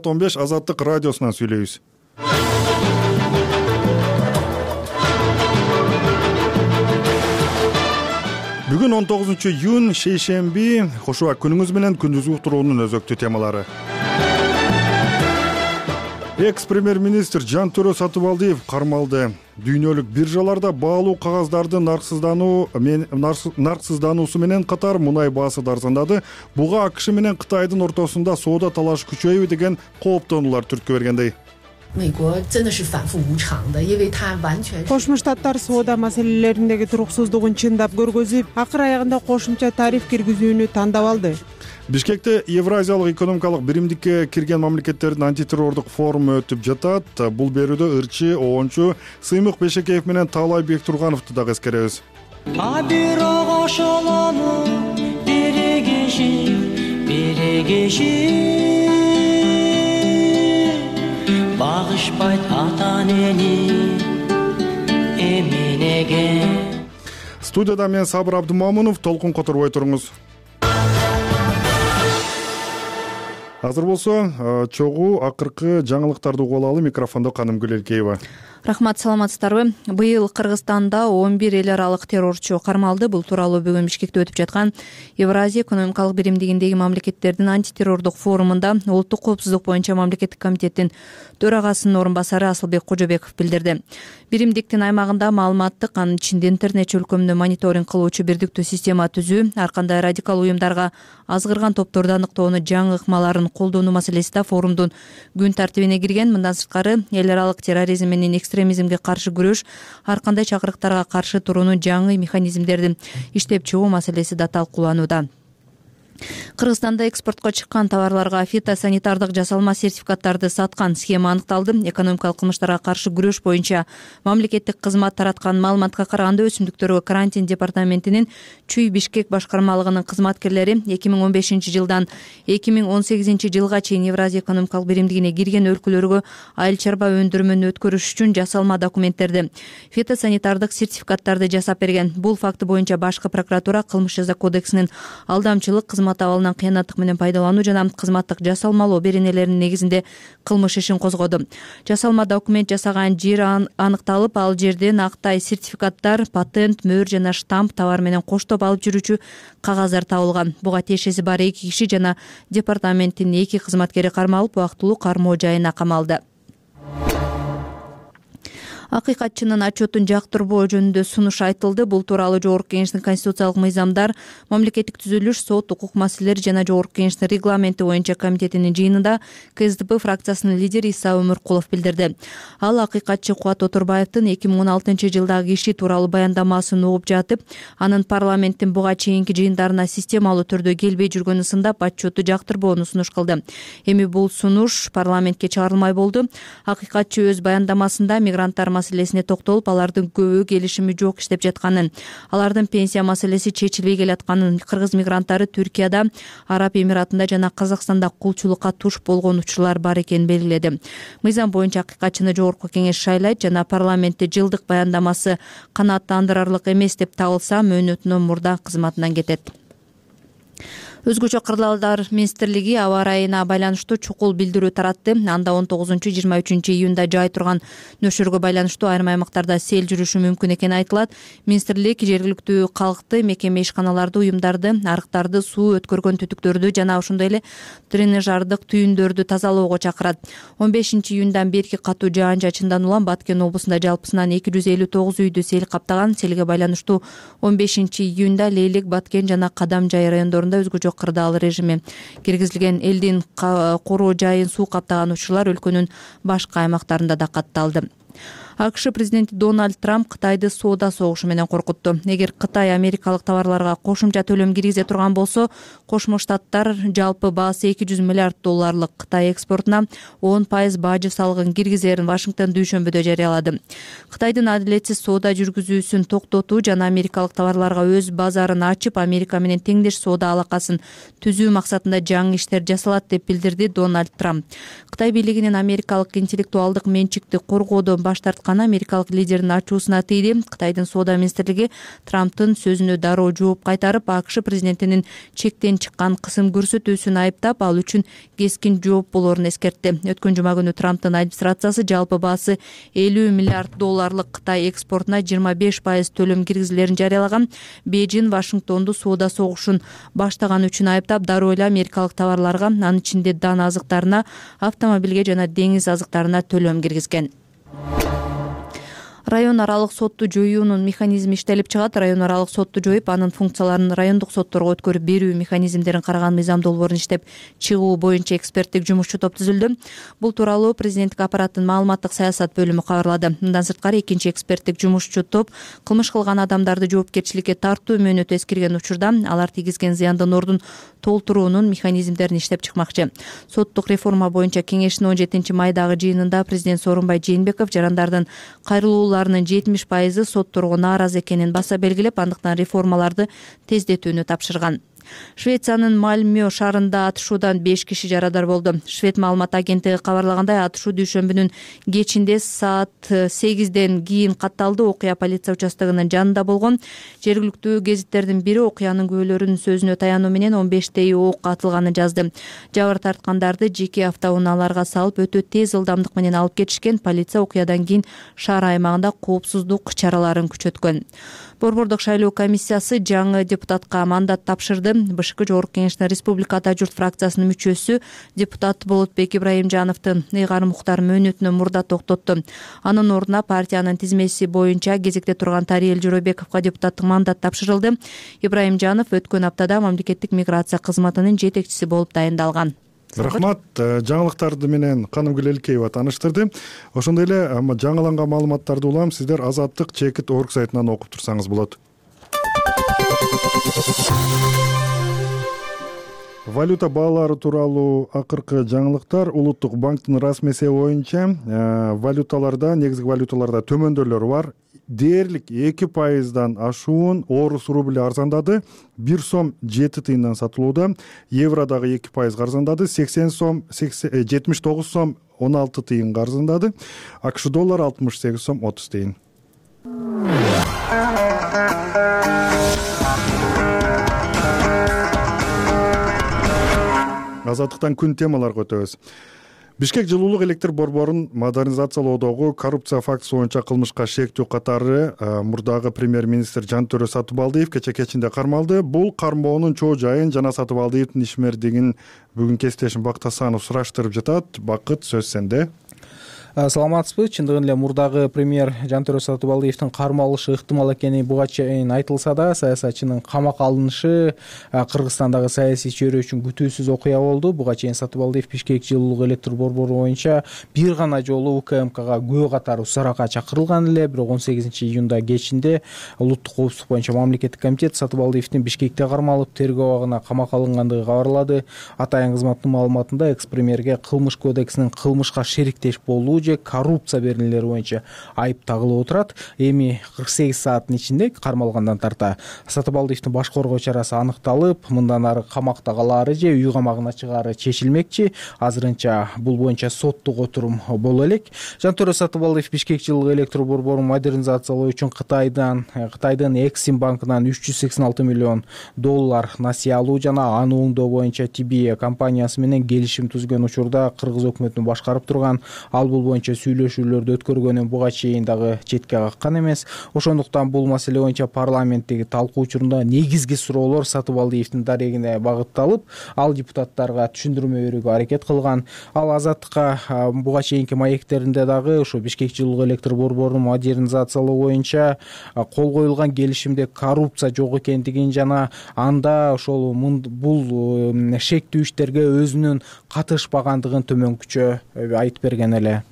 15 Азаттык радиосунан сүйлөйбүз. Бүгүн 19-июнь шейшемби. Кош убак күнүңүз менен күндүзгү уктуруунун өзөктүү темалары. Экс-премьер-министр Жантөрө Сатыбалдиев кармалды. Дүйнөлүк биржаларда баалуу кагаздардын нарксыздануусу менен катар мунай баасы да арзандады. Буга АКШ менен Кытайдын ортосунда соода талашы күчөйбү деген кооптонуулар түрткү бергендей. Кошмо Штаттар соода маселелериндеги туруксуздугун чындап көргөзүп, акыр аягында кошумча тариф киргизүүнү тандап алды. Бишкекте Евразиялык экономикалык биримдикке кирген мамлекеттердин антитеррордук форуму өтүп жатат. Бул берүүдө ырчы, оончу Сыймык Бешекеев менен Таалай Бектургановду дагы эскеребиз. Багышпайт ата-энени эминеге. Студияда мен Сабыр Абдымамунов, толкун которбой туруңуз. Азыр болсо чогуу акыркы жаңылыктарды угуп алалы. Микрофондо Канымгүл Элкеева. Рахмат, саламатсыздарбы? Быйыл Кыргызстанда 11 эл аралык террорчу кармалды. Бул тууралуу бүгүн Бишкекте өтүп жаткан Евразия экономикалык биримдигиндеги мамлекеттердин антитеррордук форумунда улуттук коопсуздук боюнча мамлекеттик комитеттин төрагасынын орун басары Асылбек Кожобеков билдирди. Биримдиктин аймагында маалыматтык, анын ичинде интернет чөлкөмүндө мониторинг кылуучу бирдиктүү система түзүү, ар кандай радикал уюмдарга азгырган топторду аныктоону, жаңы ыкмаларын колдонуу маселеси да форумдун күн тартибине кирген. Мындан сырткары эл аралык терроризм менен экстремизмге каршы күрөш, ар кандай чакырыктарга каршы туруунун жаңы механизмдердин иштеп чыгуу маселеси да талкууланууда. Кыргызстанда экспортко чыккан товарларга фитосанитардык жасалма сертификаттарды саткан схема аныкталды. Экономикалык кылмыштарга каршы күрөш боюнча мамлекеттик кызмат тараткан маалыматка караганда өсүмдүктөргө карантин департаментинин Чүй Бишкек башкармалыгынын кызматкерлери 2015 жылдан 2018 жылга чейин Евразия экономикалык биримдигине кирген өлкөлөргө айыл чарба өндүрмөнү өткөрүш үчүн жасалма документтерди, фитосанитардык сертификаттарды жасап берген. Бул факты боюнча башкы прокуратура Кылмыш жаза кодексинин алдамчылык, кызмат абалынан кыянаттык менен пайдалануу жана кызматтык жасалмалоо беренелеринин негизинде кылмыш ишин козгоду. Жасалма документ жасаган жер аныкталып, ал жерден актай сертификаттар, патент, мөөр жана штамп, товар менен коштоп алып жүрүүчү кагаздар табылган. Буга тиешеси бар 2 киши жана департаменттин 2 кызматкери кармалып, убактылуу кармоо жайына камалды. Акыйкатчынын отчетун жактырбоо жөнүндө сунуш айтылды. Бул тууралуу Жогорку Кеңештин конституциялык мыйзамдар, мамлекеттик түзүлүш, сот, укук маселелери жана Жогорку Кеңештин регламенти боюнча комитетинин жыйынында КСДП фракциясынын лидери Иса Өмүркулов билдирди. Ал акыйкатчы Кубат Отурбаевдин 2016 жылдагы иши тууралуу баяндамасын угуп жатып, анын парламенттин буга чейинки жыйындарына системалуу түрдө келбей жүргөнүн сындап, отчетту жактырбоону сунуш кылды. Эми бул сунуш парламентке чыгарылмай болду. Акыйкатчы өз баяндамасында мигранттар маселесине токтолуп, алардын көбү келишими жок иштеп жатканын, алардын пенсия маселеси чечилбей келатканын, кыргыз мигранттары Түркияда, Араб Эмиратында жана Казакстанда кулчулукка туш болгон учурлар бар экенин белгиледи. Мыйзам боюнча акыйкатчыны Жогорку Кеңеш шайлайт жана парламентте жылдык баяндамасы канааттандырарлык эмес деп табылса, мөөнөтүнөн мурда кызматынан кетет. Өзгөчө кырдаалдар министрлиги аба ырайына байланыштуу чукул билдирүү таратты. Анда 19-23 июнда жай турган нөшөргө байланыштуу айрым аймактарда сел жүрүшү мүмкүн экени айтылат. Министрлик жергиликтүү калкты, мекеме ишканаларды, уюмдарды, арыктарды, суу өткөргөн түтүктөрдү жана ошондой эле дренаждык түйүндөрдү тазалоого чакырат. 15 июндан берки катуу жаан-чачындан улам Баткен облусунда жалпысынан 259 үйдү сел каптаган. Селге байланыштуу 15 июнда Лейлек, Баткен жана Кадам жай райондорунда өзгөчө кырдаал режими киргизилген. Элдин короо жайын суу каптаган учурлар өлкөнүн башка аймактарында да катталды. АКШ президенти Дональд Трамп Кытайды соода согушу менен коркутту. Эгер Кытай америкалык товарларга кошумча төлөм киргизе турган болсо, Кошмо Штаттар жалпы баасы $200 миллиард Кытай экспортуна 10% бажы салыгын киргизерин Вашингтон дүйшөмбүдө жарыялады. Кытайдын адилетсиз соода жүргүзүүсүн токтотуу жана америкалык товарларга өз базарын ачып, Америка менен теңдеш соода алакасын түзүү максатында жаңы иштер жасалат деп билдирди Дональд Трамп. Кытай бийлигинин америкалык интеллектуалдык менчикти коргоодо суроодан баш тартканы америкалык лидердин ачуусуна тийди. Кытайдын соода министрлиги Трамптын сөзүнө дароо жооп кайтарып, АКШ президентинин чектен чыккан кысым көрсөтүүсүн айыптап, ал үчүн кескин жооп болоорун эскертти. Өткөн жума күнү Трамптын администрациясы жалпы баасы $50 миллиард Кытай экспортуна 25% төлөм киргизилерин жарыялаган. Бейжин Вашингтонду соода согушун баштаган үчүн айыптап, дароо эле америкалык товарларга, анын ичинде дан азыктарына, автомобилге жана деңиз азыктарына төлөм киргизген. Район аралык сотту жоюунун механизми иштелип чыгат. Район аралык сотту жоюп, анын функцияларын райондук сотторго өткөрүп берүү механизмдерин караган мыйзам долбоорун иштеп чыгуу боюнча эксперттик жумушчу топ түзүлдү. Бул тууралуу президенттик аппараттын маалыматтык саясат бөлүмү кабарлады. Мындан сырткары, экинчи эксперттик жумушчу топ кылмыш кылган адамдарды жоопкерчиликке тартуу мөөнөтү эскирген учурда алар тийгизген зыяндын ордун толтуруунун механизмдерин иштеп чыкмакчы. Соттук реформа боюнча кеңештин 17 майдагы жыйынында президент Сооронбай Жээнбеков жарандардын кайрылууларынын 70% сотторго нааразы экенин баса белгилеп, андыктан реформаларды тездетүүнү тапшырган. Швециянын Мальмö шаарында атышуудан 5 киши жарадар болду. Швед маалымат агенттиги кабарлагандай, атышуу дүйшөмбүнүн кечинде саат 8ден кийин катталды. Окуя полиция участогунун жанында болгон. Жергиликтүү гезиттердин бири окуянын күбөлөрүнүн сөзүнө таянуу менен 15 ок атылганын жазды. Жабыр тарткандарды жеке автоунааларга салып, өтө тез ылдамдык менен алып кетишкен. Полиция окуядан кийин шаар аймагында коопсуздук чараларын күчөткөн. Борбордук шайлоо комиссиясы жаңы депутатка мандат тапшырды. БШК Жогорку Кеңештин Республика Ата журт фракциясынын мүчөсү депутат Болотбек Ибраимжановдун ыйгар муктар мөөнөтүнө мурда токтотту. Анын ордуна партиянын тизмеси боюнча кезекте турган Тариел Жоройбековго депутаттык мандат тапшырылды. Ибраимжанов өткөн аптада мамлекеттик миграция кызматынын жетекчиси болуп дайындалган. Рахмат. Жаңылыктарды менен Канымгүл Элкеева тааныштырды. Ошондой эле жаңыланган маалыматтарды улам сиздер Азаттык чекит орг сайтынан окуп турсаңыз болот. Валюта баалары тууралуу акыркы жаңылыктар. Улуттук банктын расмий эсеби боюнча валюталарда, негизги валюталарда төмөндөөлөр бар. Дээрлик 2%дан ашуун орус рубли арзандады. 1 сом 7 тыйындан сатылууда. Евро дагы 2% арзандады. 79 сом 16 тыйынга арзандады. АКШ доллар 68 сом 30 тыйын. Азаттыктан күн темаларга өтөбүз. Бишкек жылуулук электр борборун модернизациялоодогу коррупция фактысы боюнча кылмышка шектүү катары мурдагы премьер-министр Жантөрө Сатыбалдиев кече кечинде кармалды. Бул кармоонун чоо жайын жана Сатыбалдиевдин ишмердигин бүгүн кесиптешим Бакыт Асанов сураштырып жатат. Бакыт, сөз сенде. Саламатсызбы? Чындыгын эле мурдагы премьер Жантөрө Сатыбалдиевдин кармалышы ыктымал экени буга чейин айтылса да, саясатчынын камакка алынышы Кыргызстандагы саясий чөйрө үчүн күтүүсүз окуя болду. Буга чейин Сатыбалдиев Бишкек жылуулук электр борбору боюнча бир гана жолу УКМКга күбө катары усаракка чакырылган эле. Бирок 18 июнда кечинде улуттук коопсуздук боюнча мамлекеттик комитет Сатыбалдиевдин Бишкекте кармалып, тергөө абагына камакка алынгандыгы кабарлады. Атайын кызматтын маалыматында экс-премьерге кылмыш кодексинин кылмышка шериктеш болуу же коррупция берилүүлери боюнча айып тагылып отурат. Эми 48 сааттын ичинде кармалгандан тарта Сатыбалдиевдин баш коргоо чарасы аныкталып, мындан ары камакта калаары же үй камагына чыгаары чечилмекчи. Азырынча бул боюнча соттук отурум боло элек. Жантөрө Сатыбалдиев Бишкек жылуулук электр борборун модернизациялоо үчүн Кытайдын Эксим банкынан $386 миллион насыя алуу жана аны оңдоо боюнча TBA компаниясы менен келишим түзгөн учурда Кыргыз өкмөтүнүн башкарып турган ал бул боюнча сүйлөшүүлөрдү өткөргөнүн буга чейин дагы четке каккан эмес. Ошондуктан бул маселе боюнча парламенттеги талкуу учурунда негизги суроолор Сатыбалдиевдин дарегине багытталып, ал депутаттарга түшүндүрмө берүүгө аракет кылган. Ал Азаттыкка буга чейинки маектеринде дагы ошо Бишкек жылуулук электр борборун модернизациялоо боюнча кол коюлган келишимде коррупция жок экендигин жана анда ошол бул шектүү иштерге өзүнүн катышпагандыгын төмөнкүчө айтып берген эле.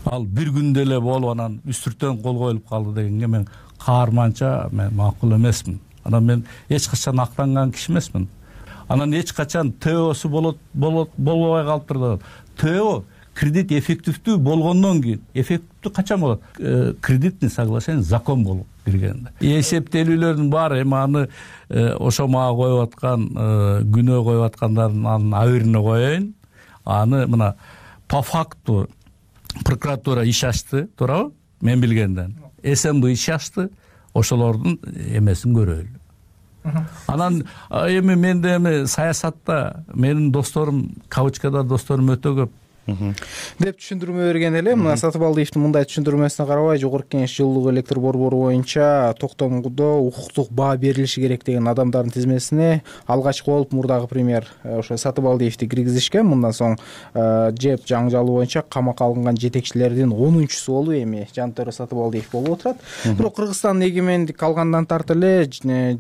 Ал бир күндө эле болуп анан үстүртөн кол коюлуп калды дегенге мен каарманча макул эмесмин. Анан мен эч качан актанган киши эмесмин. Анан эч качан ТОсу болбой калыптыр. ТО кредит эффективдүү болгондон кийин, эффективдүү качан болот? Кредитный соглашение закон болуп киргенде. Эсептелүүлөрдүн баары эми аны ошо мага коюп аткан күнөө коюп аткандардын аберине коеюн. Аны мына по факту прокуратура иш ачты, туурабы? Мен билгенден. СМБ иш ачты, ошолордун эмесин көрөлү. Анан эми менде эми саясатта менин досторум, кавычкада досторум өтө көп деп түшүндүрмө берген эле. Мына Сатыбалдиевдин мындай түшүндүрмөсүнө карабай, Жогорку Кеңеш жылуулук электр борбору боюнча токтомдо укуктук баа берилиши керек деген адамдардын тизмесине алгачкы болуп мурдагы премьер ошо Сатыбалдиевди киргизишкен. Мындан соң ЖЭП жаңжалуу боюнча камакка алынган жетекчилердин 10-чусу болуп эми Жантөрө Сатыбалдиев болуп отурат. Бирок Кыргызстан эгемендик алгандан тартып эле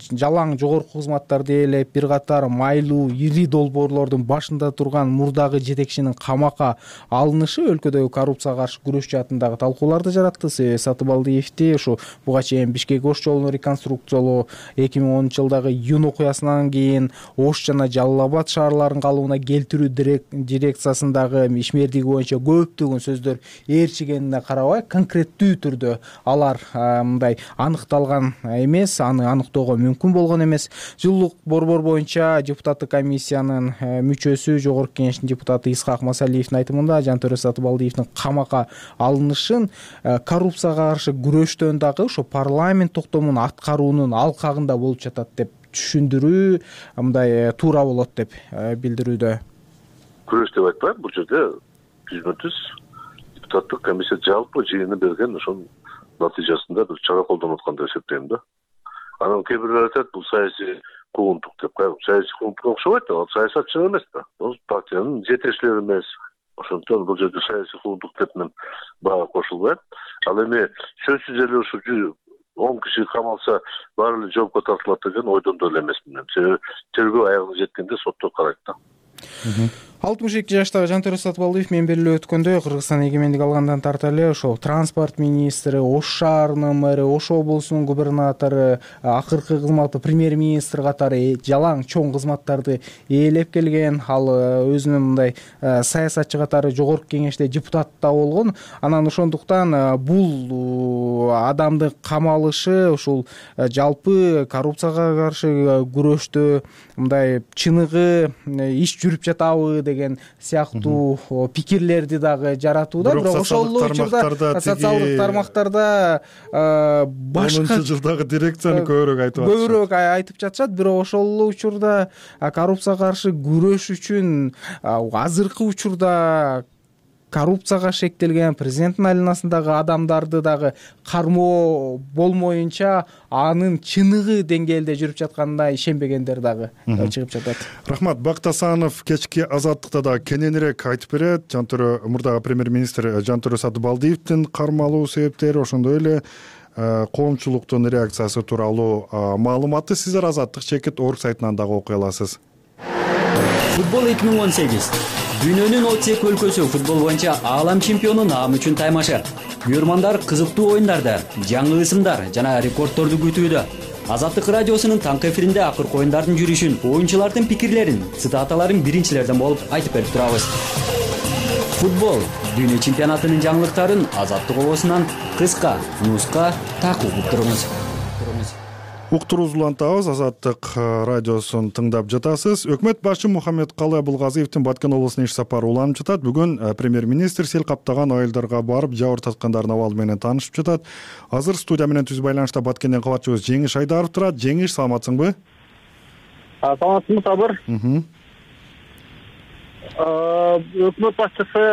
жалаң жогорку кызматтарды ээлеп, бир катар майлуу ири долбоорлордун башында турган мурдагы жетекчинин камакка алынышы өлкөдөгү коррупцияга каршы күрөш жаатындагы талкууларды жаратты. Сатыбалдиевди ушу буга чейин Бишкек-Ош жолун реконструкциялоо, 2010-жылдагы июнь окуясынан кийин Ош жана Жалал Абад шаарларын калыбына келтирүү дирекциясындагы ишмердиги боюнча көптөгөн сөздөр ээрчигенине карабай, конкреттүү түрдө алар мындай аныкталган эмес, аны аныктоого мүмкүн болгон эмес. Жылуулук борбор боюнча депутаттык комиссиянын мүчөсү, Жогорку Кеңештин депутаты Исхак Масалиевдин айтымында Жантөрө Сатыбалдиевдин камакка алынышын коррупцияга каршы күрөштөн дагы ошо парламент токтомун аткаруунун алкагында болуп жатат деп түшүндүрүү мындай туура болот деп билдирүүдө. Күрөш деп айтпайм, бул жерде түз депутаттык комиссия жалпы жыйыны берген ошонун натыйжасында бир чара колдонуп аткан деп эсептейм да. Анан кээ бирлер айтат, бул саясий куугунтук деп. Саясий куугунтукка окшобойт да, ал саясатчы эмес да. Бул партиянын жетекчилери эмес. Ошондон бул жерде саясий куугунтук деп мен бага кошулбайм. Ал эми сөзсүз эле ушу 10 киши камалса баары эле жоопко тартылат деген ойдон да эле эмесмин. Себеби тергөө аягына жеткенде сотто карайт да. 62 жаштагы Жантөрө Сатыбалдиев мен белгилеп өткөндөй Кыргызстан эгемендик алгандан тарта эле ошол транспорт министри, Ош шаарынын мэри, Ош облусунун губернатору, акыркы кызматы премьер-министр катары жалаң чоң кызматтарды ээлеп келген. Ал өзүнүн мындай саясатчы катары Жогорку Кеңеште депутат да болгон. Анан ошондуктан бул адамдын камалышы ушул жалпы коррупцияга каршы күрөштө мындай чыныгы иш жүрүп жатабы деген сыяктуу пикирлерди дагы жаратууда. Бирок ошол учурда социалдык тармактарда башка 10-жылдагы дирекцияны көбүрөөк айтып жатышат. Бирок ошол учурда коррупцияга каршы күрөш үчүн азыркы учурда коррупцияга шектелген президенттин айланасындагы адамдарды дагы кармоо болмоюнча анын чыныгы деңгээлде жүрүп жатканына ишенбегендер дагы чыгып жатат. Рахмат. Бакыт Асанов кечки Азаттыкта да кененирээк айтып берет. Мурдагы премьер-министр Жантөрө Сатыбалдиевдин кармалуу себептери, ошондой эле коомчулуктун реакциясы тууралуу маалыматты сиздер Азаттык чекит орг сайтынан дагы окуй аласыз. Футбол 2018. Дүйнөнүн 32 өлкөсү футбол боюнча аалам чемпиону наам үчүн таймашы. Күйөрмандар кызыктуу оюндарды, жаңы ысымдар жана рекордторду күтүүдө. Азаттык радиосунун таңкы эфиринде акыркы оюндардын жүрүшүн, оюнчулардын пикирлерин, цитаталарын биринчилерден болуп айтып берип турабыз. Футбол дүйнө чемпионатынын жаңылыктарын Азаттык обосунан кыска, нуска такып туруңуз. Уктурууз улантабыз. Азаттык радиосун тыңдап жатасыз. Өкмөт башчы Мухаммедкалы Абылгазиевдин Баткен облусуна иш сапары уланып жатат. Бүгүн премьер-министр сел каптаган айылдарга барып, жабыр тарткандардын абалы менен таанышып жатат. Азыр студия менен түз байланышта Баткенден кабатчыбыз Жеңиш Айдаров турат. Жеңиш, саламатсыңбы? Саламатсызбы, Сабыр. Өкмөт башчысы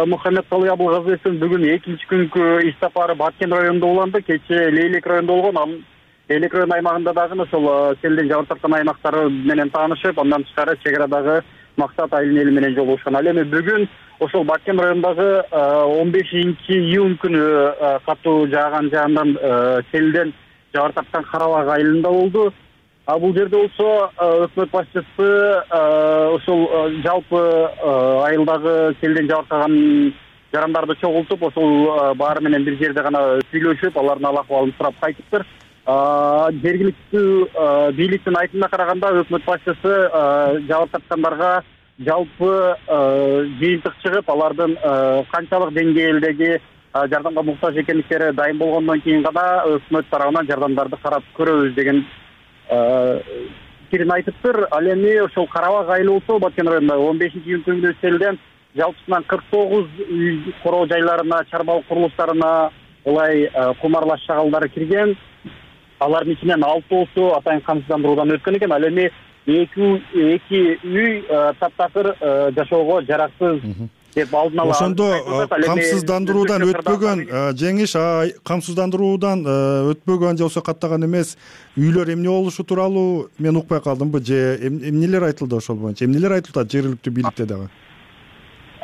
Мухаммедкалы Абылгазиевдин бүгүн экинчи күнгү иш сапары Баткен районунда уланды. Кечээ Лейлек районунда болгон. Лейлек район аймагында дагы ошол селден жабыр тарткан аймактары менен таанышып, андан тышкары чек арадагы Максат айылын эли менен жолугушкан. Ал эми бүгүн ошол Баткен районундагы 15-июнь күнү катуу жааган жаандан селден жабыр тарткан Карабак айылында болду. Бул жерде болсо өкмөт башчысы ошол жалпы айылдагы селден жабыркаган жарандарды чогултуп, ошол баары менен бир жерде гана сүйлөшүп, алардын ал акыбалын сурап кайтыптыр. Жергиликтүү бийликтин айтымына караганда өкмөт башчысы жабыр тарткандарга жалпы жыйынтык чыгып, алардын канчалык деңгээлдеги жардамга муктаж экендиктери дайым болгондон кийин гана өкмөт тарабынан жардамдарды карап көрөбүз деген пикирин айтыптыр. Ал эми ошол Карабак айылы болсо Баткен районунда 15-июнь күнү селден жалпысынан 49 үй короо жайларына, чарбалык курулуштарына улай кумарлаш чагалдары кирген. Алардын ичинен 6 атайын камсыздандыруудан өткөн экен. Ал эми 2 үй таптакыр жашоого жараксыз деп алдын ала. Ошондо камсыздандыруудан өтпөгөн жеңиш, камсыздандыруудан өтпөгөн же болбосо каттаган эмес үйлөр эмне болушу тууралуу мен укпай калдымбы же эмнелер айтылды ошол боюнча? Эмнелер айтылат жергиликтүү бийликте дагы?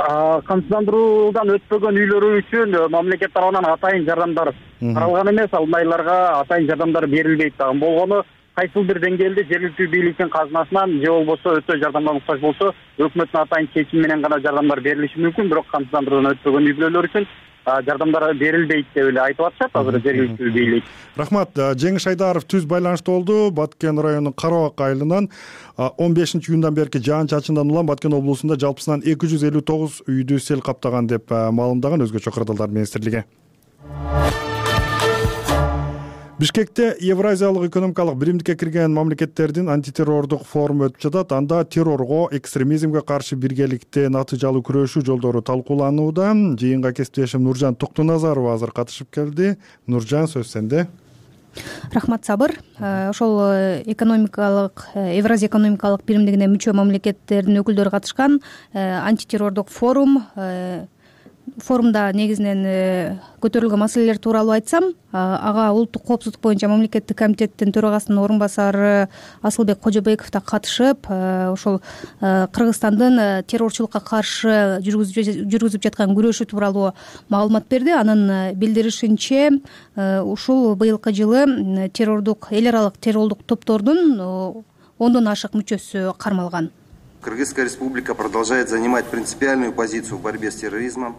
Камсыздандыруудан өтпөгөн үйлөрү үчүн мамлекет тарабынан атайын жардамдар каралган эмес, алдайларга атайын жардамдар берилбейт дагы. Болгону кайсыл бир деңгээлде жергиликтүү бийликтин казынасынан же болбосо өтө жардамга муктаж болсо өкмөттүн атайын чечими менен гана жардамдар берилиши мүмкүн, бирок камсыздандыруудан өтпөгөн үй бүлөлөр үчүн жардамдар берилбейт деп эле айтып атышат азыр жергиликтүү бийлик. Рахмат. Жеңиш Айдаров түз байланышта болду. Баткен районунун Карабак айылынан 15-июндан берки жаан-чачындан улам Баткен облусунда жалпысынан 259 үйдү сел каптаган деп маалымдаган Өзгөчө кырдаалдар министрлиги. Бишкекте Евразиялык экономикалык биримдикке кирген мамлекеттердин антитеррордук форуму өтүп жатат. Анда террорго, экстремизмге каршы биргеликте натыйжалуу күрөшүү жолдору талкууланууда. Жыйынга кесиптешим Нуржан Токтоназарова азыр катышып келди. Нуржан, сөз сенде. Рахмат, Сабыр. Ошол Евразия экономикалык биримдигине мүчө мамлекеттердин өкүлдөрү катышкан антитеррордук форумда негизинен көтөрүлгөн маселелер тууралуу айтсам, ага улуттук коопсуздук боюнча мамлекеттик комитеттин төрагасынын орун басары Асылбек Кожобеков да катышып, ошол Кыргызстандын террорчулукка каршы жүргүзүп жаткан күрөшү тууралуу маалымат берди. Анын билдиришинче, ушул быйылкы жылы эл аралык террордук топтордун 10дон ашык мүчөсү кармалган. Кыргызская республика продолжает занимать принципиальную позицию в борьбе с терроризмом,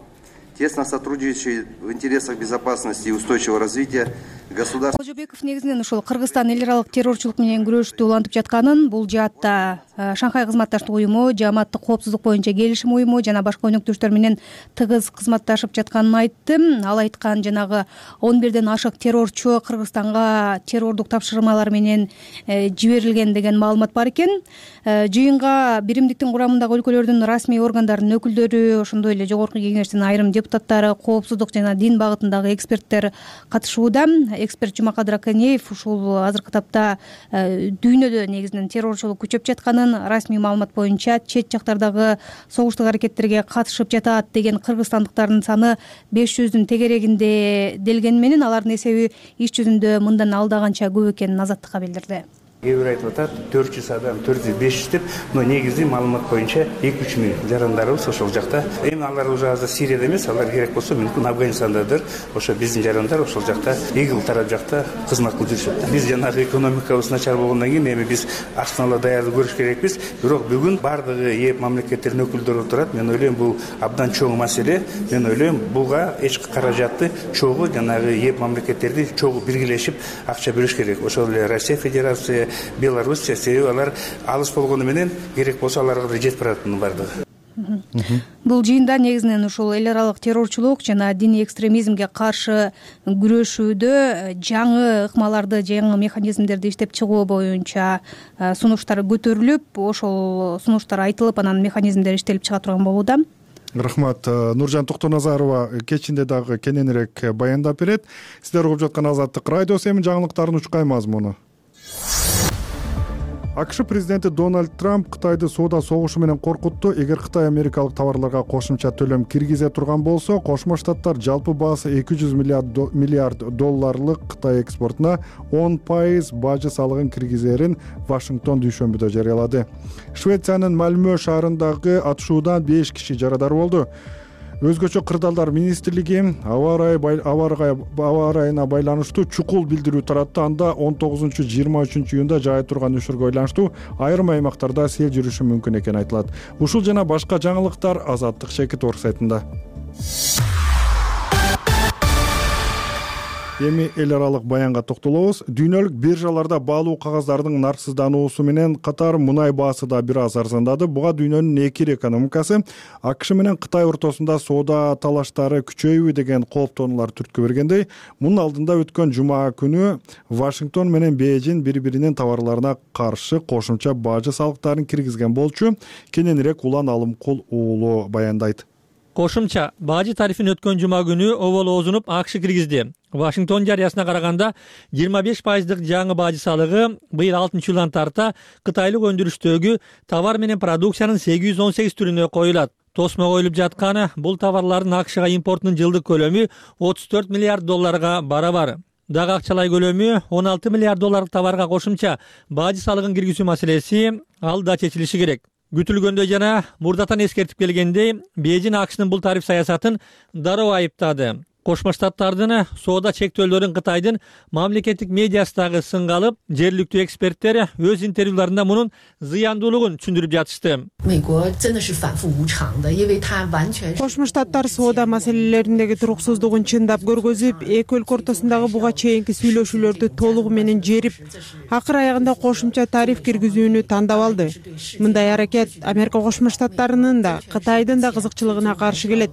тесно сотрудничает в интересах безопасности и устойчивого развития государств. Кожобеков негизинен ушул Кыргызстан эл аралык террорчулук менен күрөштү улантып жатканын, бул жаатта Шанхай кызматташтык уюму, Жааматтык коопсуздук боюнча келишим уюму жана башка өнөктөштөр менен тыгыз кызматташып жатканын айтты. Ал айткан жанагы 11ден ашык террорчу Кыргызстанга террордук тапшырмалар менен жиберилген деген маалымат бар экен. Жыйынга биримдиктин курамындагы өлкөлөрдүн расмий органдарынын өкүлдөрү, ошондой эле жогорку кеңештин айрым депутаттары, коопсуздук жана дин багытындагы эксперттер катышууда. Эксперт Жумакадыр Аканеев ушул азыркы тапта дүйнөдө негизинен террорчулук күчөп жатканын, расмий маалымат боюнча чет жактардагы согуштук аракеттерге катышып жатат деген кыргызстандыктардын саны 500дүн тегерегинде делгени менен алардын эсеби иш жүзүндө мындан алдаганча көп экенин Азаттыкка билдирди. Кээ бир айтып атат 400 адам, 400-500 деп, но негизги маалымат боюнча 2-3 миң жарандарыбыз ошол жакта. Эми алар уже азыр Сирияда эмес, алар керек болсо мүмкүн Афганистандадыр. Ошо биздин жарандар ошол жакта, ИГИЛ тарап жакта кызмат кылып жүрүшөт. Биз жанагы экономикабыз начар болгондон кийин эми биз ачканала даярдык көрүш керекпиз. Бирок бүгүн бардыгы ээп мамлекеттердин өкүлдөрү турат. Мен ойлойм бул абдан чоң маселе. Мен ойлойм буга эч каражатты чогуу жанагы ээп мамлекеттерди чогуу биргелешип акча бөлүш керек. Ошол эле Россия Федерация, Белоруссия, себеби алар алыс болгону менен керек болсо аларга да жетип баратынын бардыгы. Бул жыйында негизинен ушул эл аралык террорчулук жана диний экстремизмге каршы күрөшүүдө жаңы ыкмаларды, жаңы механизмдерди иштеп чыгуу боюнча сунуштар көтөрүлүп, ошол сунуштар айтылып, анан механизмдер иштелип чыга турган болууда. Рахмат. Нуржан Токтоназарова кечинде дагы кененирээк баяндап берет. Сиздер угуп жаткан Азаттык радиосу. Эми жаңылыктардын учкай мазмуну. АКШ президенти Дональд Трамп Кытайды соода согушу менен коркутту. Эгер Кытай америкалык товарларга кошумча төлөм киргизе турган болсо, Кошмо Штаттар жалпы баасы $200 миллиард Кытай экспортуна 10% бажы салыгын киргизерин Вашингтон дүйшөмбүдө жарыялады. Швециянын Мальмö шаарындагы атышуудан 5 киши жарадар болду. Өзгөчө кырдаалдар министрлиги аба ырайына байланыштуу чукул билдирүү таратты. Анда 19-23 июнда жаай турган үшүргө байланыштуу айрым аймактарда сел жүрүшү мүмкүн экени айтылат. Ушул жана башка жаңылыктар Азаттык Шекит орг сайтында. Эми эл аралык баянга токтолобуз. Дүйнөлүк биржаларда баалуу кагаздардын нарксыздануусу менен катар мунай баасы да бир аз арзандады. Буга дүйнөнүн эки ир экономикасы АКШ менен Кытай ортосунда соода талаштары күчөйбү деген кооптонуулар түрткү бергендей, мунун алдында өткөн жума күнү Вашингтон менен Бейжин бири-биринин товарларына каршы кошумча бажы салыктарын киргизген болчу. Кененирээк Улан Алымкул уулу баяндайт. Кошумча бажы тарифин өткөн жума күнү оболозунуп АКШ киргизди. Вашингтон жарыясына караганда 25% жаңы бажы салыгы быйыл 6-жылдан тарта кытайлык өндүрүштөгү товар менен продукциянын 818 түрүнө коюлат. Тосмо коюлуп жатканы бул товарлардын АКШга импортунун жылдык көлөмү 34 миллиард долларга барабар. Дагы акчалай көлөмү 16 миллиард долларлык товарга кошумча бажы салыгын киргизүү маселеси ал да чечилиши керек. Күтүлгөндөй жана мурдатан эскертип келгендей, Бейжин АКШнын бул тариф саясатын дароо айыптады. Кошмо Штаттардын соода чектөөлөрүн Кытайдын мамлекеттик медиасы дагы сынга алып, жергиликтүү эксперттер өз интервьюларында мунун зыяндуулугун түшүндүрүп жатышты. Кошмо Штаттар соода маселелериндеги туруксуздугун чындап көргөзүп, эки өлкө ортосундагы буга чейинки сүйлөшүүлөрдү толугу менен жерип, акыр аягында кошумча тариф киргизүүнү тандап алды. Мындай аракет Америка Кошмо Штаттарынын да, Кытайдын да кызыкчылыгына каршы келет.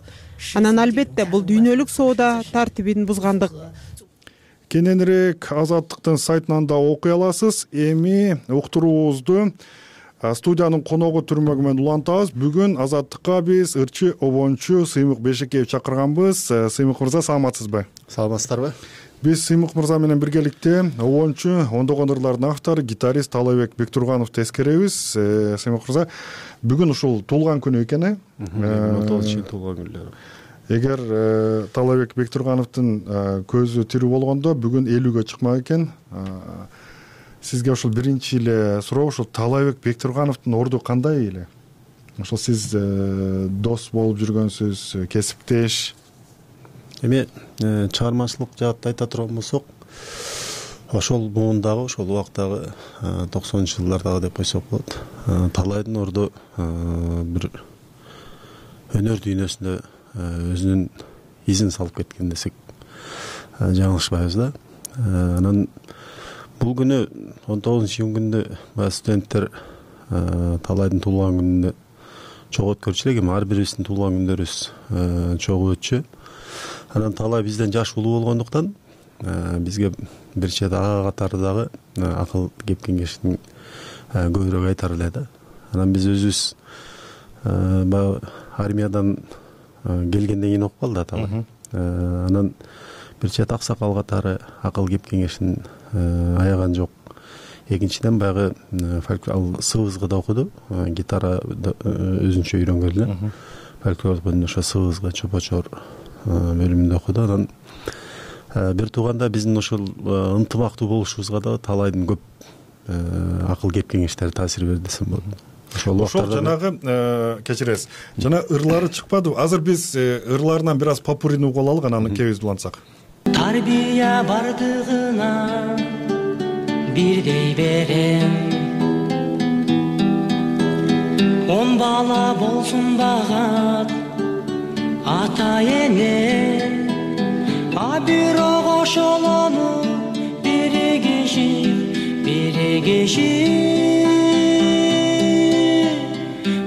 Анан албетте бул дүйнөлүк соода тартибин бузгандык. Кененирээк Азаттыктын сайтынан да окуй аласыз. Эми уктуруубузду студиянын коногу түрмөгүмөн улантабыз. Бүгүн Азаттыкка биз ырчы обончу Сыймык Бешекеев чакырганбыз. Сыймык мырза, саламатсызбы? Саламатсыздарбы? Биз Сыймык мырза менен биргеликте обончу, ондогон ырлардын автору, гитарист Талайбек Бектургановду эскеребиз. Сыймык мырза, бүгүн ушул туулган күнү экен, 19 туулган күнү. Эгер Талайбек Бектургановдун көзү тирүү болгондо бүгүн 50-гө чыкмак экен. Сизге ушул биринчи эле суроо, ушул Талайбек Бектургановдун орду кандай эле? Ошол сиз дос болуп жүргөнсүз, кесиптеш. Эми чыгармачылык жаатта айта турган болсок, ошол муундагы, ошол убактагы 90-жылдардагы деп койсок болот. Талайдын орду бир өнөр дүйнөсүндө өзүнүн изин салып кеткен десек жаңылышпайбыз да. Анан бул күнү 19-июнь күндө студенттер Талайдын туулган күнүндө чогуу өткөрчү элек, ар бирибиздин туулган күндөрүбүз чогуу өтчү. Анан Талай бизден жаш улуу болгондуктан бизге бир чет ага катары дагы акыл кеп кеңештин көбүрөөк айтар эле да. Анан биз өзүбүз баягы армиядан келгенден кийин окуп калды Талай. Анан бир чет аксакал катары акыл кеп кеңештин аяган жок. Экинчиден баягы СВСга окуду, гитара өзүнчө үйрөнгөн эле. Фольклор бөлүмүндө ошо СВСга чопочор бөлүмүндө окуду. Анан бир тууганда биздин ошол ынтымактуу болушубузга да Талайдын көп акыл кеп кеңештери таасир берди десем болот. Ошол жанагы кечиресиз. Жана ырлары чыкпады. Азыр биз ырларынан бир аз попурини угуп алалык, анан кебиз улантсак. Тарбия бардыгына бирдей берем, 10 бала болсун багат ата эне, а бирок ошолону биригишип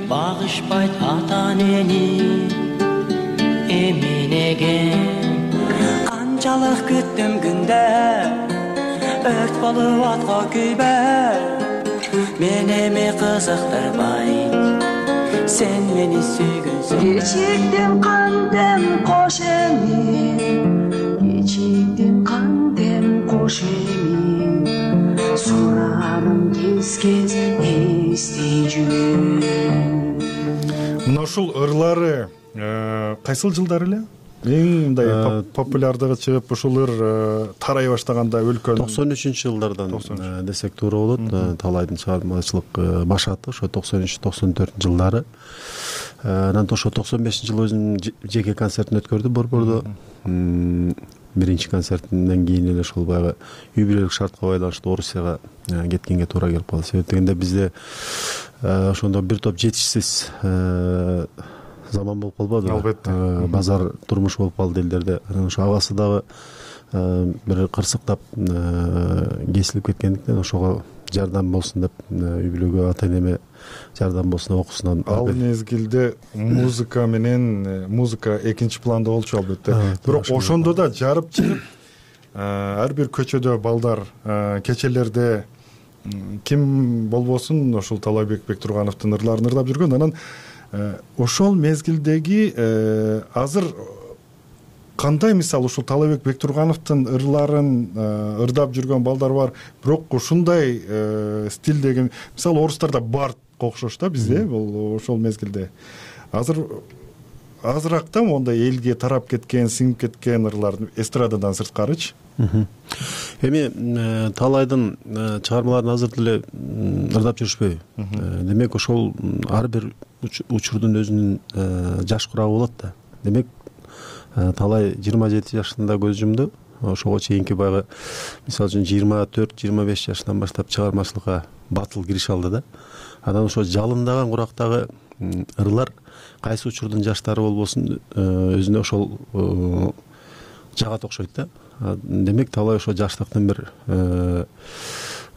багышпайт ата энени эминеге. Канчалык күттүм күндө өрт болуп атка күйбөй, мен эми кызыктырбай сен мени сүйгөнсүң. Кечиктим кандем кош эми, кечиктим кандем кош эми, сурарым кез-кез эстей жүрөм. Мына ушул ырлары кайсыл жылдар эле? Эң мындай популярдыгы чыгып, ушул ыр тарай баштаганда өлкөнүн 93-жылдардан десек туура болот. Талайдын чыгармачылык башаты ошо 93-94 жылдары. Анан ошо 95-жылы өзүнүн жеке концертин өткөрдү Борбордо. Биринчи концертинен кийин эле ошол баягы юбилейлик шартка байланыштуу Орусияга кеткенге туура келип калды. Себеп дегенде бизде ошондо бир топ жетишсиз заман болуп калбадыбы? Албетте. Базар турмуш болуп калды элдерде. Анан ошо абасы дагы бир кырсыктап кесилип кеткендиктен ошого жардам болсун деп үй бүлөгө ата энеме жардам болсун деп окуусунан ал мезгилде музыка экинчи планда болчу албетте. Бирок ошондо да жарып чыгып ар бир көчөдө балдар кечелерде ким болбосун ошол Талайбек Бектургановдун ырларын ырдап жүргөн. Анан ошол мезгилдеги азыр кандай, мисалы ушул Талайбек Бектургановдун ырларын ырдап жүргөн балдар бар, бирок ушундай стилдеги, мисалы орустарда бард окшош да бизде бул ошол мезгилде. Азыраак да мондай элге тарап кеткен, сиңип кеткен ырлар эстрададан сырткарычы. Эми Талайдын чыгармаларын азыр деле ырдап жүрүшпөйбү? Демек ошол ар бир учурдун өзүнүн жаш курагы болот да. Демек Талай 27 жашында көз жумду. Ошого чейинки баягы мисалы үчүн 24-25 жашынан баштап чыгармачылыкка батыл кириши алды да. Анан ошо жалындаган курактагы ырлар кайсы учурдун жаштары болбосун өзүнө ошол жагат окшойт да. Демек Талай ошо жаштыктын бир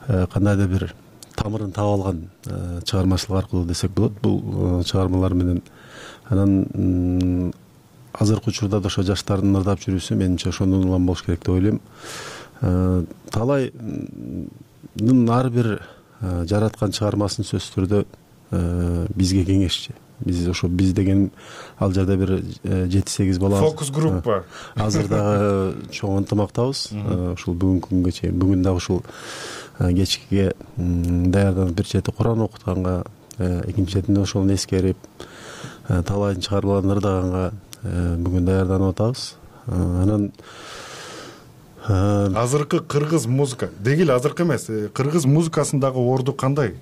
кандайдыр бир тамырын таап алган чыгармачылык аркылуу десек болот бул чыгармалар менен. Анан азыркы учурда да ошо жаштардын ырдап жүрүүсү менимче ошондон улам болуш керек деп ойлойм. Талайдын ар бир жараткан чыгармасын сөзсүз түрдө бизге кеңешчи. Биз деген ал жерде бир 7-8 бала фокус группа азыр дагы чоң ынтымактабыз. Ушул бүгүнкү күнгө чейин бүгүн дагы ушул кечкиге даярданып бир чети Куран окутканга, экинчи четинде ошону эскерип Талайдын чыгармаларын ырдаганга бүгүн даярданып атабыз. Анан азыркы кыргыз музыка дегил азыркы эмес, кыргыз музыкасындагы орду кандай?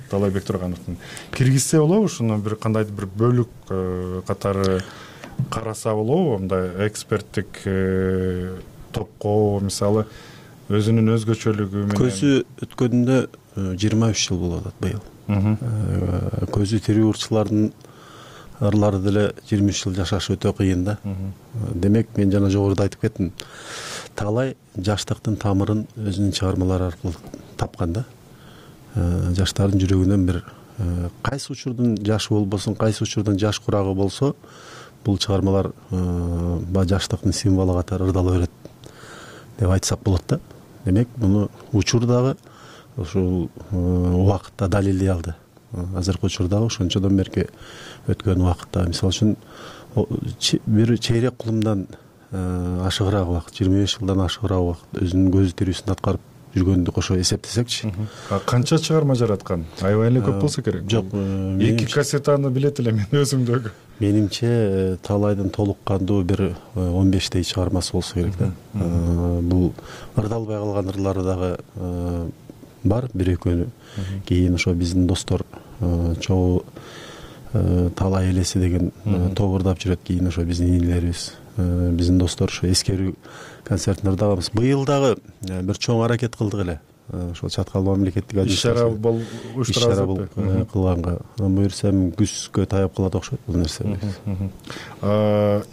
Талайбек Тургановдун киргизсе болобу, ушуну бир кандайдыр бир бөлүк катары караса болобу, мындай эксперттик топко, мисалы өзүнүн өзгөчөлүгү менен. Көзү өткөнүндө 23 жыл болуп атат быйыл. Көзү тирүү ырчылардын ырлары деле 23 жыл жашаш өтө кыйын да. Демек мен жана жогоруда айтып кеттим. Талай жаштыктын тамырын өзүнүн чыгармалары аркылуу тапкан да. Жаштардын жүрөгүнөн бир кайсы учурдун жашы болбосун, кайсы учурдун жаш курагы болсо, бул чыгармалар жаштыктын символу катары ырдала берет деп айтсак болот да. Демек муну учурдагы ушул убакытта далилдей алды. Азыркы учурдагы ошончодон берки өткөн убакытта, мисалы үчүн бир чейрек кылымдан ашыгыраак убакыт, 25 жылдан ашыгыраак убакыт өзүнүн көзү тирүүсүн аткарып жүргөндү кошо эсептесекчи. Канча чыгарма жараткан? Аябай эле көп болсо керек. Жок, 2 кассетаны билет эле мен өзүмдөгү. Менимче Талайдын толук кандуу бир 15 чыгармасы болсо керек да. Бул ырдалбай калган ырлары дагы бар, бир-экөөнү. Кийин ошо биздин достор чогуу Талай элеси деген топ ырдап жүрөт. Кийин ошо биздин инилерибиз, биздин достор ошо эскерүү концертин ырдаганбыз. Быйыл дагы бир чоң аракет кылдык эле. Ошол Чаткал мамлекеттик ишара кылганга. Буюрсам күзгө таяп калат окшойт бул нерсе.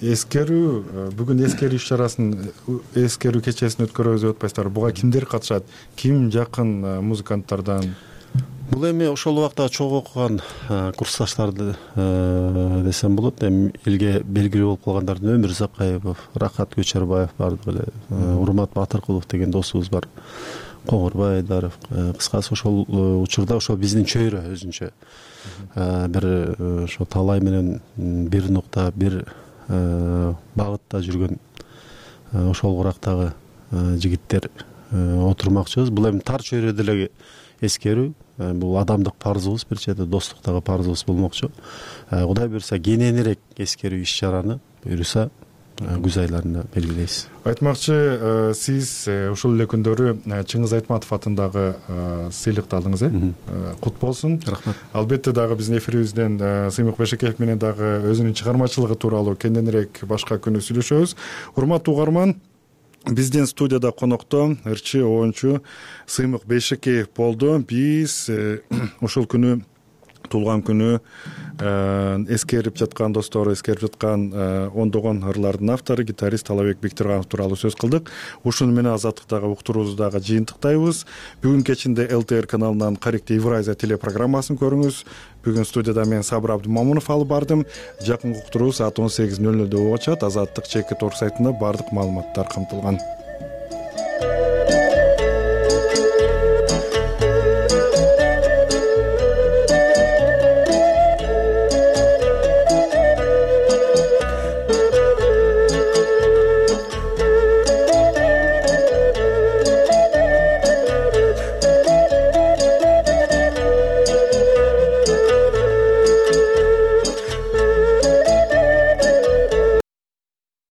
Эскерүү бүгүн эскерүү иш-чарасын, эскерүү кечесин өткөрөбүз деп атпайсыздарбы? Буга кимдер катышат? Ким жакын музыканттардан? Бул эми ошол убакта чогуу окуган курсташтарды десем болот. Эми элге белгилүү болуп калгандардын Өмүр Закаевов, Рахат Көчөрбаев бардык эле, Урмат Батыркулов деген досубуз бар. Коңурбай Айдаров. Кыскасы ошол учурда ошо биздин чөйрө өзүнчө бир ошо Талай менен бир нукта, бир багытта жүргөн ошол курактагы жигиттер отурмакчыбыз. Бул эми тар чөйрөдө эле эскерүү, бул адамдык парзыбыз, бир чети достуктагы парзыбыз болмокчу. Кудай буйруса кененирээк эскерүү иш-чараны буйруса күз айларында белгилейбиз. Айтмакчы, сиз ушул эле күндөрү Чыңгыз Айтматов атындагы сыйлыкты алдыңыз, кут болсун. Рахмат. Албетте дагы биздин эфирибизден Сыймык Бешекеев менен дагы өзүнүн чыгармачылыгы тууралуу кененирээк башка күнү сүйлөшөбүз. Урматтуу угарман, биздин студияда конокто ырчы, оончу Сыймык Бешекеев болду. Биз ушул күнү туулган күнү эскерип жаткан достору, эскерип жаткан ондогон ырлардын автору гитарист Талабек Бектурганов тууралуу сөз кылдык. Ушуну менен Азаттыктагы уктуруубузду дагы жыйынтыктайбыз. Бүгүн кечинде ЛТР каналынан Каректи Евразия телепрограммасын көрүңүз. Бүгүн студияда мен Сабыр Абдымамунов алып бардым. Жакынкы уктуруу саат 18:00 болуп атат. Азаттык чекит орг сайтында бардык маалыматтар камтылган.